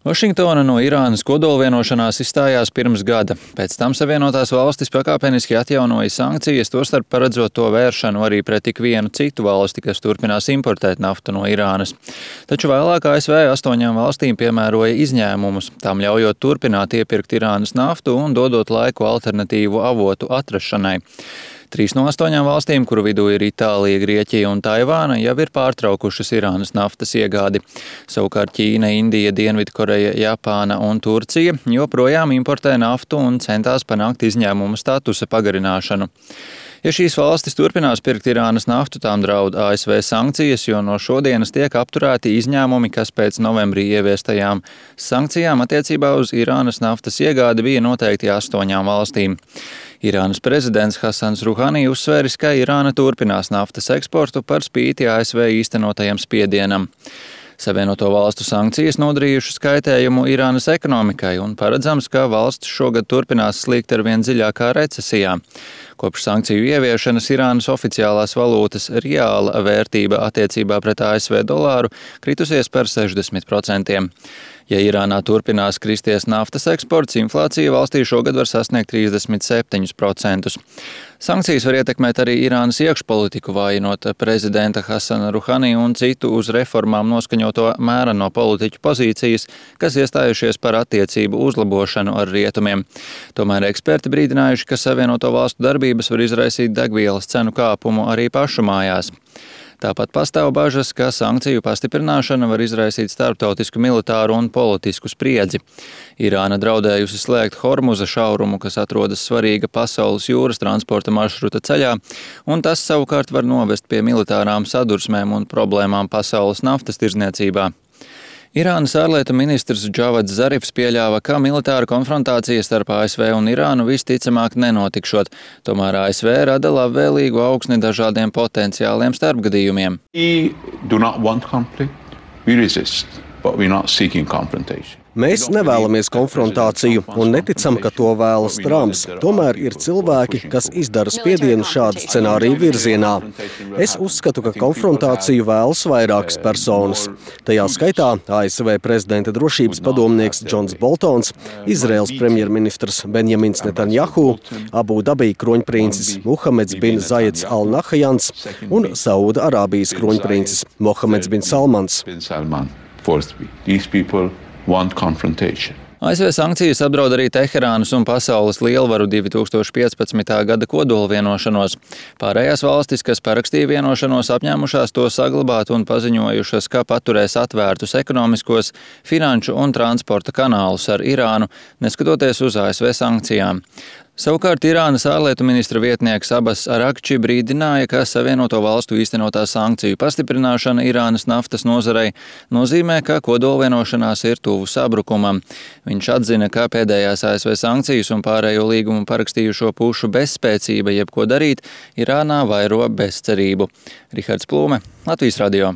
Vašingtona no Irānas kodolvienošanās izstājās pirms gada. Pēc tam Savienotās valstis pakāpeniski atjaunoja sankcijas, tostarp paredzot to vēršanu arī pret ik vienu citu valsti, kas turpinās importēt naftu no Irānas. Taču vēlāk ASV 8 valstīm piemēroja izņēmumus, tām ļaujot turpināt iepirkt Irānas naftu un dodot laiku alternatīvu avotu atrašanai. 3 no 8 valstīm, kuru vidū ir Itālija, Grieķija un Taivāna, jau ir pārtraukušas Irānas naftas iegādi. Savukārt Ķīna, Indija, Dienvidkoreja, Japāna un Turcija joprojām importē naftu un centās panākt izņēmuma statusa pagarināšanu. Ja šīs valstis turpinās pirkt Irānas naftu, tām draud ASV sankcijas, jo no šodienas tiek apturēti izņēmumi, kas pēc novembrī ieviestajām sankcijām attiecībā uz Irānas naftas iegādi bija noteikti 8 valstīm. Irānas prezidents Hasans Ruhani uzsvēris, ka Irāna turpinās naftas eksportu par spīti ASV īstenotajam spiedienam. Savienoto valstu sankcijas nodarījušas kaitējumu Irānas ekonomikai un paredzams, ka valsts šogad turpinās slīgt arvien dziļākā recesijā. Kopš sankciju ieviešanas Irānas oficiālās valūtas reāla vērtība attiecībā pret ASV dolāru kritusies par 60%. Ja Irānā turpinās kristies naftas eksports, inflācija valstī šogad var sasniegt 37%. Sankcijas var ietekmēt arī Irānas iekšpolitiku, vājinot prezidenta Hasana Ruhani un citu uz reformām noskaņoto mēreno politiķu pozīcijas, kas iestājušies par attiecību uzlabošanu ar rietumiem. Tomēr eksperti brīdinājuši, ka Savienoto valstu darbības var izraisīt degvielas cenu kāpumu arī pašu mājās. Tāpat pastāv bažas, ka sankciju pastiprināšana var izraisīt starptautisku militāru un politisku spriedzi. Irāna draudējusi slēgt Hormuza šaurumu, kas atrodas svarīga pasaules jūras transporta maršruta ceļā, un tas savukārt var novest pie militārām sadursmēm un problēmām pasaules naftas tirdzniecībā. Irānas ārlietu ministrs Džavads Zarifs pieļāva, ka militāra konfrontācija starp ASV un Irānu visticamāk nenotikšot, tomēr ASV rada labvēlīgu augsni dažādiem potenciāliem starpgadījumiem. Mēs nevēlamies konfrontāciju un neticam, ka to vēlas Trumps. Tomēr ir cilvēki, kas izdara spiedienu šādu scenāriju virzienā. Es uzskatu, ka konfrontāciju vēlas vairākas personas. Tajā skaitā ASV prezidenta drošības padomnieks Džons Boltons, Izraels premjerministrs Benjamins Netanjahu, Abu Dabī kroņprincis Muhameds bin Zayeds Al Nahjans un Sauda Arābijas kroņprincis Mohameds bin Salmans. ASV sankcijas apdraud arī Teherānas un pasaules lielvaru 2015. gada kodolvienošanos. Pārējās valstis, kas parakstīja vienošanos, apņēmušās to saglabāt un paziņojušas, ka paturēs atvērtus ekonomiskos, finanšu un transporta kanālus ar Irānu, neskatoties uz ASV sankcijām. Savukārt Irānas ārlietu ministra vietnieks Abbas Arakči brīdināja, ka Savienoto valstu īstenotā sankciju pastiprināšana Irānas naftas nozarei nozīmē, ka kodolvienošanās ir tuvu sabrukumam. Viņš atzina, ka pēdējās ASV sankcijas un pārējo līgumu parakstījušo pušu bezspēcība jebko darīt Irānā vairo bezcerību. Rihards Plūme, Latvijas radio.